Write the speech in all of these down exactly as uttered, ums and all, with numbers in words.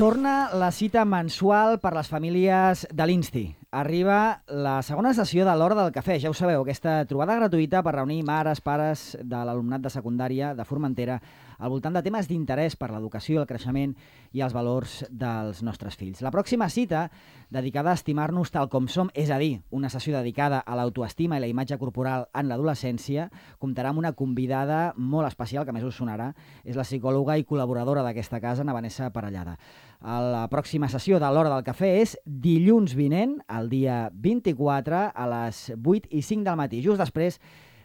Torna la cita mensual per les famílies de l'Insti. Arriba la segona sessió de l'Hora del Cafè. Ja ho sabeu, aquesta trobada gratuïta per reunir mares, pares de l'alumnat de secundària de Formentera al voltant de temes d'interès per l'educació, el creixement i els valors dels nostres fills. La pròxima cita, dedicada a estimar-nos tal com som, és a dir, una sessió dedicada a l'autoestima i la imatge corporal en l'adolescència, comptarà amb una convidada molt especial, que més us sonarà. És la psicòloga i col·laboradora d'aquesta casa, na Vanessa Parellada. La pròxima sessió de l'Hora del Cafè és dilluns vinent, el dia vint-i-quatre, a les vuit i cinc del matí, just després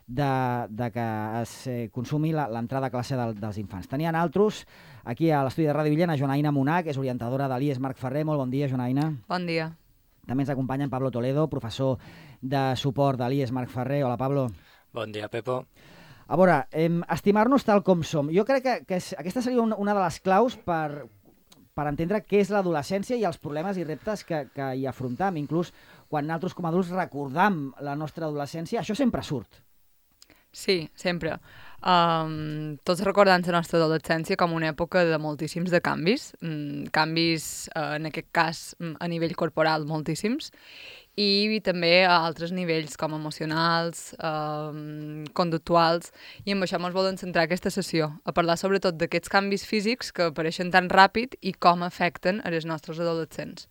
de, de que es consumi l'entrada a classe del, dels infants. Tenien altres aquí a l'estudi de Ràdio Villena, Jonaina Munà, que és orientadora de l'I E S Marc Ferrer. Molt bon dia, Jonaina. Bon dia. També ens acompanya en Pablo Toledo, professor de suport de l'I E S Marc Ferrer. Hola, Pablo. Bon dia, Pepo. A veure, eh, estimar-nos tal com som. Jo crec que, que és, aquesta seria una, una de les claus per... per entendre què és l'adolescència i els problemes i reptes que, que hi afrontam. Inclús quan nosaltres com a adults recordam la nostra adolescència, això sempre surt. Sí, sempre. Um, tots recordant la nostra adolescència com una època de moltíssims de canvis, um, canvis, uh, en aquest cas, a nivell corporal, moltíssims, i també a altres nivells com emocionals, eh, conductuals, i amb això ens volen centrar aquesta sessió, a parlar sobretot d'aquests canvis físics que apareixen tan ràpid i com afecten a els nostres adolescents.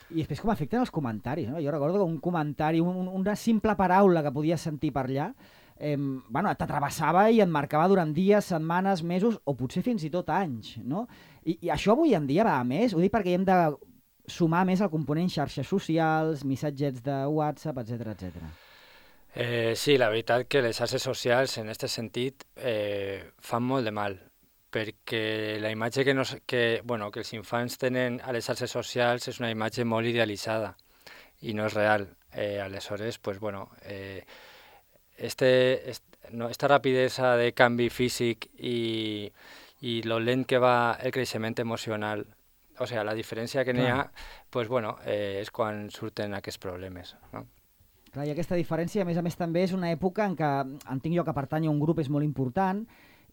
I després com afecten els comentaris, no? Jo recordo que un comentari, un, una simple paraula que podies sentir per allà, eh, bueno, t'atravessava i et marcava durant dies, setmanes, mesos, o potser fins i tot anys, no? I, i això avui en dia va a més, ho dic perquè hem de sumar més el component xarxes socials, missatgets de WhatsApp, etcètera, etcètera. Eh, sí, la veritat que les xarxes socials, en aquest sentit, eh, fan molt de mal, perquè la imatge que, nos, que, bueno, que els infants tenen a les xarxes socials és una imatge molt idealitzada i no és real. Eh, aleshores, pues, bueno, eh, este, este, no, esta rapidesa de canvi físic i, i lo lent que va el creixement emocional, o sigui, la diferència que n'hi ha, pues, bueno, eh, és quan surten aquests problemes, no? Clar, i aquesta diferència, a més a més, també és una època en què entenc jo que pertany a un grup és molt important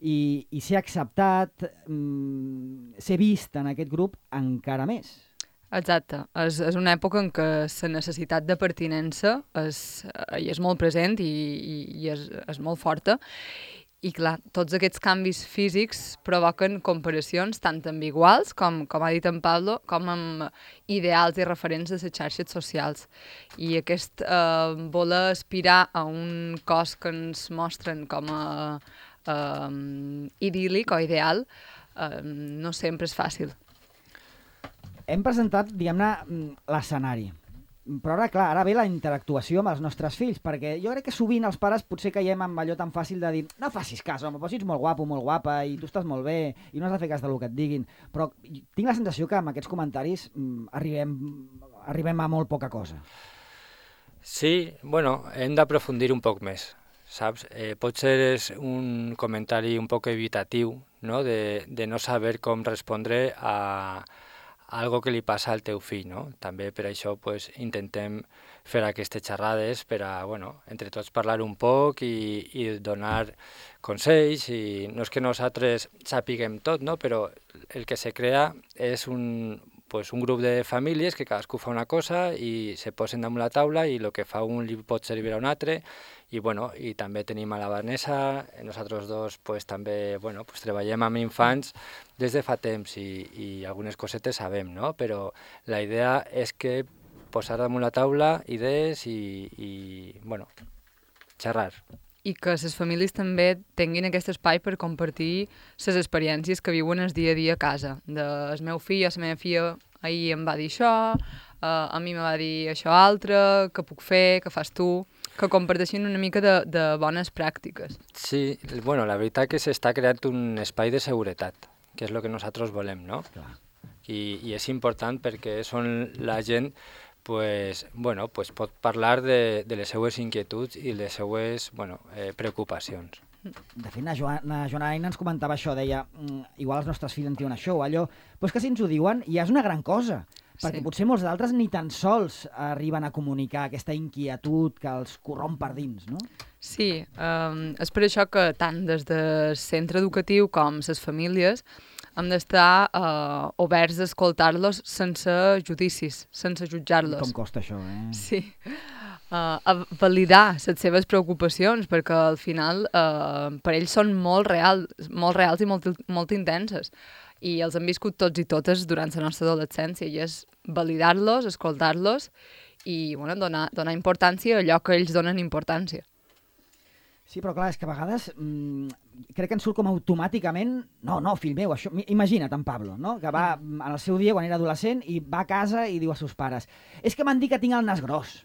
i, i ser acceptat, mm, ser vist en aquest grup encara més. Exacte. És, és una època en què la necessitat de pertinença és, és molt present i, i, i és, és molt forta. I clar, tots aquests canvis físics provoquen comparacions tant amb iguals, com, com ha dit en Pablo, com amb ideals i referents de les xarxes socials. I aquest eh, voler aspirar a un cos que ens mostren com a eh, idíl·lic o ideal eh, no sempre és fàcil. Hem presentat, diguem-ne, l'escenari. Però ara, clar, ara ve la interactuació amb els nostres fills, perquè jo crec que sovint els pares potser caiem amb allò tan fàcil de dir no facis cas, home, però si ets molt guapo, molt guapa i tu estàs molt bé i no has de fer cas del que et diguin. Però tinc la sensació que amb aquests comentaris mm, arribem, arribem a molt poca cosa. Sí, bueno, hem d'aprofundir un poc més, saps? Eh, potser és un comentari un poc evitatiu, no? De, de no saber com respondre a algo que li passa al teu fill, no? També per això pues, intentem fer aquestes xerrades per a, bueno, entre tots parlar un poc i, i donar consells, i no és que nosaltres sapiguem tot, no? Però el que se crea és un, pues, un grup de famílies que cadascú fa una cosa i se posen damunt la taula i el que fa un li pot servir a un altre. I, bueno, i també tenim a la Vanessa, nosaltres dos pues, també bueno, pues, treballem amb infants des de fa temps i, i algunes cosetes sabem, no? Però la idea és que posar damunt la taula idees i, i bueno, xerrar. I que les famílies també tinguin aquest espai per compartir les experiències que viuen el dia a dia a casa. De, el meu fill o la meva filla ahir em va dir això, uh, a mi me va dir això altre, què puc fer, què fas tu, que comparteixin una mica de, de bones pràctiques. Sí, bueno, la veritat que s'està creant un espai de seguretat, que és el que nosaltres volem, no? Clar. I, i és important perquè són la gent pues, bueno, pues pot parlar de, de les seues inquietuds i les seues bueno, eh, preocupacions. De fet, la Joana, Joana ens comentava això, deia, igual els nostres fills en diuen això o allò, però és que si ens ho diuen ja és una gran cosa, perquè sí. Potser molts d'altres ni tan sols arriben a comunicar aquesta inquietud que els corromp per dins, no? Sí, um, és per això que tant des del centre educatiu com les famílies hem d'estar uh, oberts a escoltar-los sense judicis, sense jutjar-los. Com costa això, eh? Sí. Uh, a validar les seves preocupacions, perquè al final uh, per ells són molt, real, molt reals i molt, molt intenses. I els han viscut tots i totes durant la nostra adolescència, i és validar-los, escoltar-los i bueno, donar, donar importància a allò que ells donen importància. Sí, però clar, és que a vegades mmm, crec que ens surt com automàticament no, no, fill meu, això... Imagina't en Pablo, no? Que va en el seu dia, quan era adolescent, i va a casa i diu als seus pares és que m'han dit que tinc el nas gros.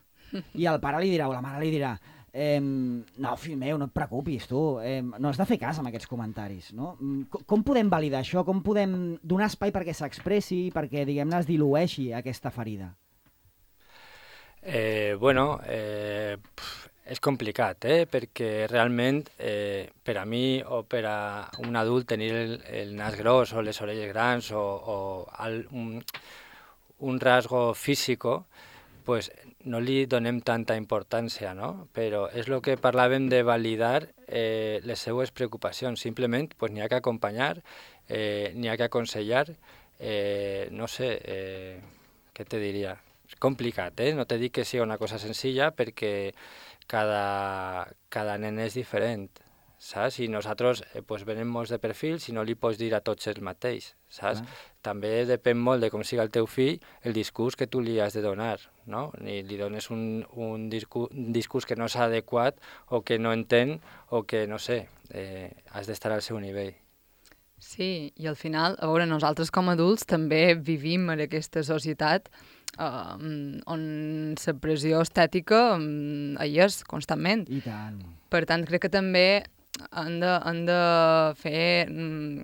I el pare li dirà, o la mare li dirà eh, no, fill meu, no et preocupis, tu, eh, no has de fer cas amb aquests comentaris, no? Com, com podem validar això? Com podem donar espai perquè s'expressi, perquè, diguem-ne, es dilueixi aquesta ferida? Eh, bueno, eh, és complicat, eh? Perquè realment eh, per a mi o per a un adult tenir el, el nas gros o les orelles grans o, o al, un, un rasgo físico, pues no li donem tanta importància, no? Però és el que parlàvem de validar eh, les seues preocupacions. Simplement pues, n'hi ha que acompanyar, eh, n'hi ha que aconsellar, eh, no sé, eh, què te diria? És complicat, eh? No te dic que sigui una cosa senzilla perquè cada, cada nen és diferent, saps? I nosaltres eh, pues, venem molts de perfils i no li pots dir a tots el mateix, saps? Ah. També depèn molt de com siga el teu fill el discurs que tu li has de donar, no? Ni li dones un, un, discurs, un discurs que no és adequat o que no entén o que, no sé, eh, has d'estar al seu nivell. Sí, i al final, a veure, nosaltres com a adults també vivim en aquesta societat uh, on la pressió estètica um, hi és constantment. I tant. Per tant, crec que també han de, han de fer um,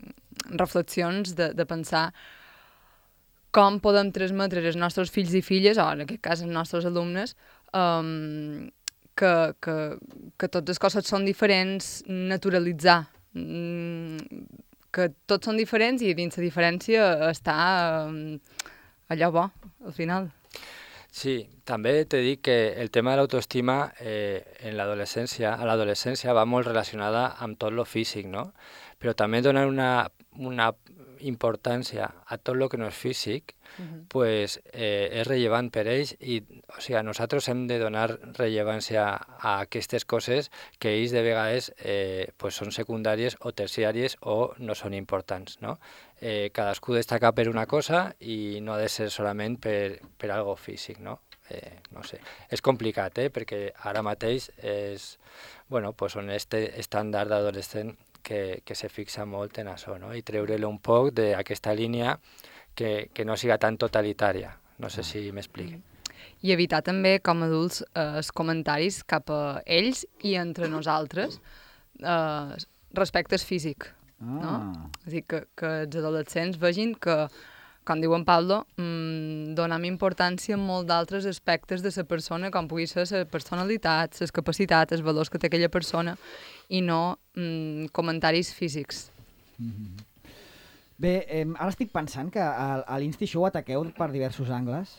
reflexions de, de pensar com podem transmetre als nostres fills i filles, o en aquest cas als nostres alumnes, um, que, que, que totes les coses són diferents, naturalitzar, um, que tots són diferents i dins la diferència està um, allò bo, al final. Sí, també t'he dit que el tema de l'autoestima eh, en l'adolescència, a l'adolescència va molt relacionada amb tot lo físic, no? Però també donar una, una importància a tot el que no és físic, uh-huh. pues, eh, és rellevant per ells i o sigui, nosaltres hem de donar rellevància a aquestes coses que ells de vegades eh, pues són secundàries o terciàries o no són importants, no? Eh, cadascú destaca per una cosa i no ha de ser solament per, per algo físic, no? Eh, no sé. És complicat, eh? Perquè ara mateix és, bueno, pues, un este estàndard d'adolescent que, que se fixa molt en això, no? I treure-lo un poc d'aquesta línia que, que no siga tan totalitària. No sé si m'expliqui. I evitar també, com a adults, eh, els comentaris cap a ells i entre nosaltres eh, respecte al físic. Ah. No? És a dir, que, que els adolescents vegin que, com diu en Pablo, mmm, donem importància a molt d'altres aspectes de la persona, com pugui ser la personalitat, les capacitats, els valors que té aquella persona, i no mmm, comentaris físics. Mm-hmm. Bé, eh, ara estic pensant que a, a l'Insti Show ataqueu per diversos angles.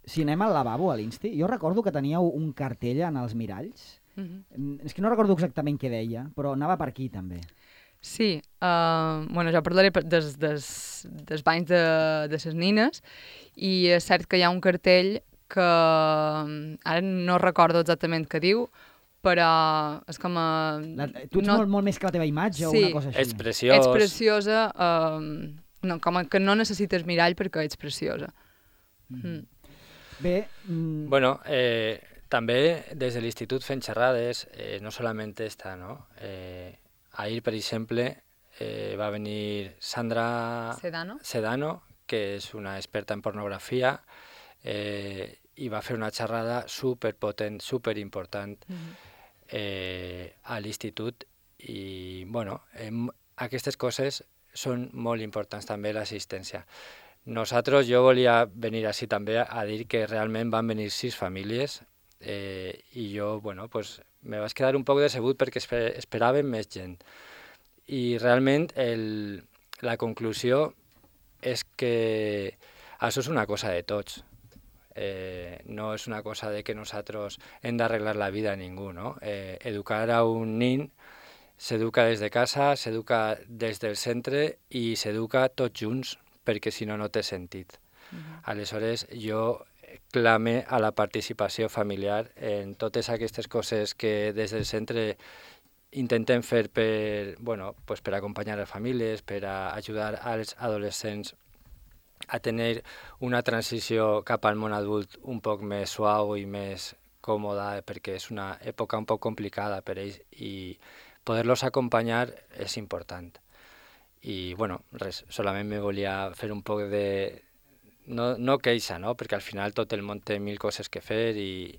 Si anem al lavabo a l'Insti, jo recordo que teníeu un cartell en els miralls. Mm-hmm. És que no recordo exactament què deia, però anava per aquí també. Sí, uh, bueno, jo parlaré des, des, des banys de, de ses nines, i és cert que hi ha un cartell que ara no recordo exactament què diu, però és com a... La, tu ets no... molt, molt més que la teva imatge sí, o una cosa així. Ets preciós. Ets preciosa, uh, no, com a que no necessites mirall perquè ets preciosa. Mm. Mm. Bé... Mm... Bueno, eh, també des de l'institut fent xerrades, eh, no solament esta, no? Eh, ahir, per exemple, eh, va venir Sandra Sedano. Sedano, que és una experta en pornografia, eh, i va fer una xerrada superpotent, superimportant mm-hmm. eh, a l'institut. I, bueno, eh, aquestes coses són molt importants també, l'assistència. Nosaltres, jo volia venir així també a dir que realment van venir sis famílies eh, i jo, bueno, pues, me vaig quedar un poc decebut perquè esper esperàvem més gent. I realment el, la conclusió és que això és una cosa de tots. Eh, no és una cosa de que nosaltres hem d'arreglar la vida a ningú, no? Eh, educar a un nin s'educa des de casa, s'educa des del centre i s'educa tots junts, perquè si no, no té sentit. Uh-huh. Aleshores, jo clame a la participació familiar en totes aquestes coses que des del centre intentem fer per, bueno, pues per acompanyar les famílies, per a ajudar als adolescents a tenir una transició cap al món adult un poc més suau i més còmoda, perquè és una època un poc complicada per ells i poder-los acompanyar és important. I, bueno, res, solament me volia fer un poc de... No, no queixa, no? Perquè al final tot el món té mil coses que fer, i...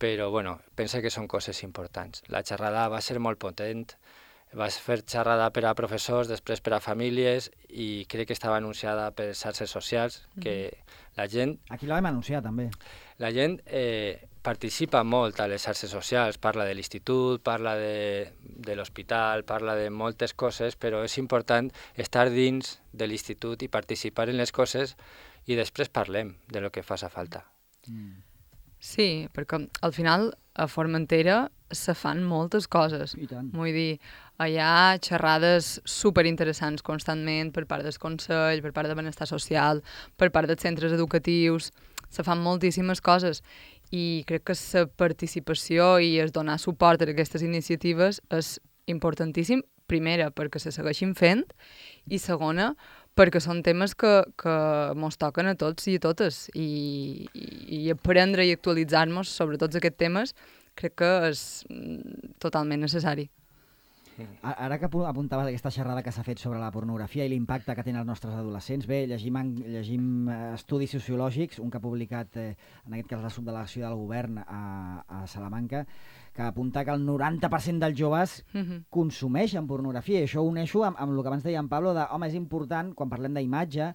però, bueno, penso que són coses importants. La xerrada va ser molt potent, va fer xerrada per a professors, després per a famílies, i crec que estava anunciada per xarxes socials, que mm-hmm. la gent... Aquí la vam anunciar, també. La gent eh, participa molt a les xarxes socials, parla de l'institut, parla de, de l'hospital, parla de moltes coses, però és important estar dins de l'institut i participar en les coses i després parlem de lo que faci falta. Mm. Sí, perquè al final a Formentera se fan moltes coses. I tant. Vull dir, hi ha xerrades superinteressants constantment per part del Consell, per part de Benestar Social, per part dels centres educatius. Se fan moltíssimes coses i crec que la participació i es donar suport a aquestes iniciatives és importantíssim, primera, perquè se segueixin fent, i segona, perquè són temes que, que mos toquen a tots i a totes, i, i, i aprendre i actualitzar-nos sobre tots aquests temes crec que és totalment necessari. Ara que apuntaves aquesta xerrada que s'ha fet sobre la pornografia i l'impacte que tenen els nostres adolescents, bé, llegim, llegim estudis sociològics, un que ha publicat, eh, en aquest cas la subdelegació del govern a, a Salamanca, que apunta que el noranta per cent dels joves uh-huh. consumeixen pornografia, i això ho uneixo amb, amb el que abans deia en Pablo, de, home, és important, quan parlem d'imatge,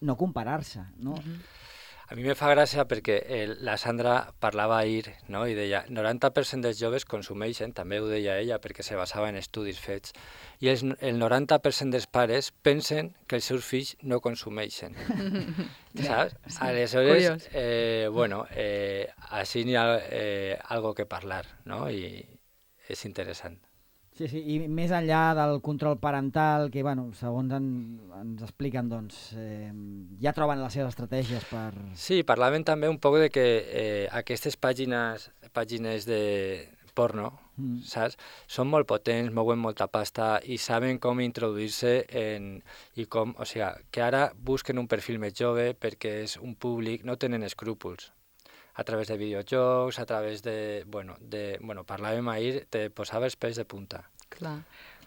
no comparar-se, no? Uh-huh. A mi me fa gràcia perquè el, la Sandra parlava ahir, no? I deia noranta per cent dels joves consumeixen, també ho deia ella perquè se basava en estudis fets, i els, el noranta per cent dels pares pensen que els seus fills no consumeixen. Saps? Sí, aleshores, eh, bueno, eh, així n'hi ha eh, algo que parlar, no? I és interessant. Sí, sí, i més enllà del control parental, que, bueno, segons en, ens expliquen, doncs, eh, ja troben les seves estratègies per... Sí, parlaven també un poc de que eh, aquestes pàgines, pàgines de porno, mm. saps? Són molt potents, mouen molta pasta i saben com introduir-se en... i com, o sigui, que ara busquen un perfil més jove perquè és un públic, no tenen escrúpols. A través de videojocs, a través de... Bueno, de, bueno parlàvem ahir, te posava els pèls de punta. Clar,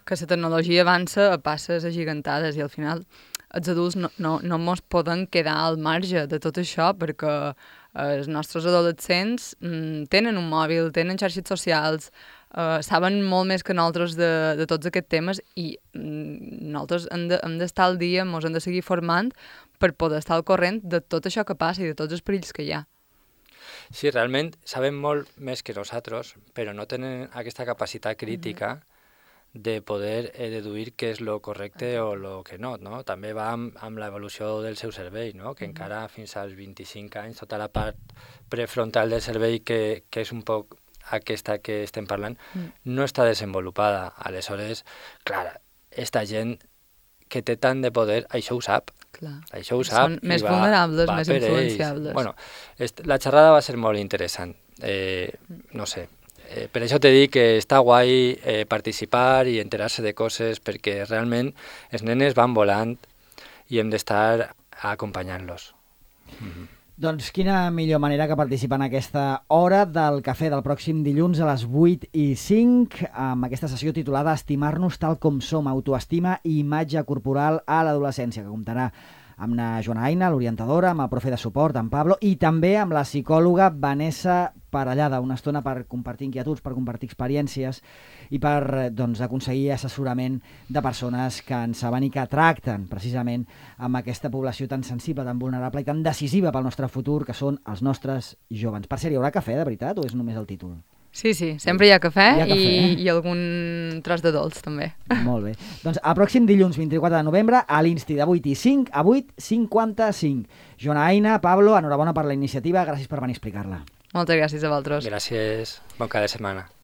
que la tecnologia avança a passes agigantades i al final els adults no, no, no mos poden quedar al marge de tot això perquè els nostres adolescents mm, tenen un mòbil, tenen xarxes socials, eh, saben molt més que nosaltres de, de tots aquests temes i mm, nosaltres hem de, hem d'estar al dia, mos hem de seguir formant per poder estar al corrent de tot això que passa i de tots els perills que hi ha. Sí, realment saben molt més que nosaltres, però no tenen aquesta capacitat crítica uh-huh. de poder eh, deduir què és lo correcte uh-huh. o lo que no, no? També va amb, amb l'evolució del seu cervell, no? Que uh-huh. encara fins als vint-i-cinc anys tota la part prefrontal del cervell, que, que és un poc aquesta que estem parlant, uh-huh. no està desenvolupada. Aleshores, clar, esta gent que té tant de poder, això ho sap. Clar. Això ho sap. Són més va, vulnerables, va més influenciables. Bueno, la xerrada va ser molt interessant. Eh, no sé, eh, per això t'he dit que està guai eh, participar i enterar-se de coses, perquè realment els nenes van volant i hem d'estar acompanyant-los. Mm-hmm. Doncs quina millor manera que participar en aquesta hora del cafè del pròxim dilluns a les vuit i cinc, amb aquesta sessió titulada Estimar-nos tal com som, autoestima i imatge corporal a l'adolescència, que comptarà amb la Joana Aina, l'orientadora, amb el profe de suport, en Pablo, i també amb la psicòloga Vanessa Parellada, una estona per compartir inquietuds, per compartir experiències i per doncs, aconseguir assessorament de persones que en saben i que tracten precisament amb aquesta població tan sensible, tan vulnerable i tan decisiva pel nostre futur, que són els nostres jóvens. Per cert, hi haurà cafè, de veritat, o és només el títol? Sí, sí, sempre hi ha cafè, hi ha cafè i, eh? i algun tros de dolç, també. Molt bé. Doncs el pròxim dilluns, vint-i-quatre de novembre, a l'Insti de vuit i cinc a vuit cinquanta-cinc. Joana Aina, Pablo, enhorabona per la iniciativa, gràcies per venir a explicar-la. Moltes gràcies a vosaltres. Gràcies, bon cada setmana.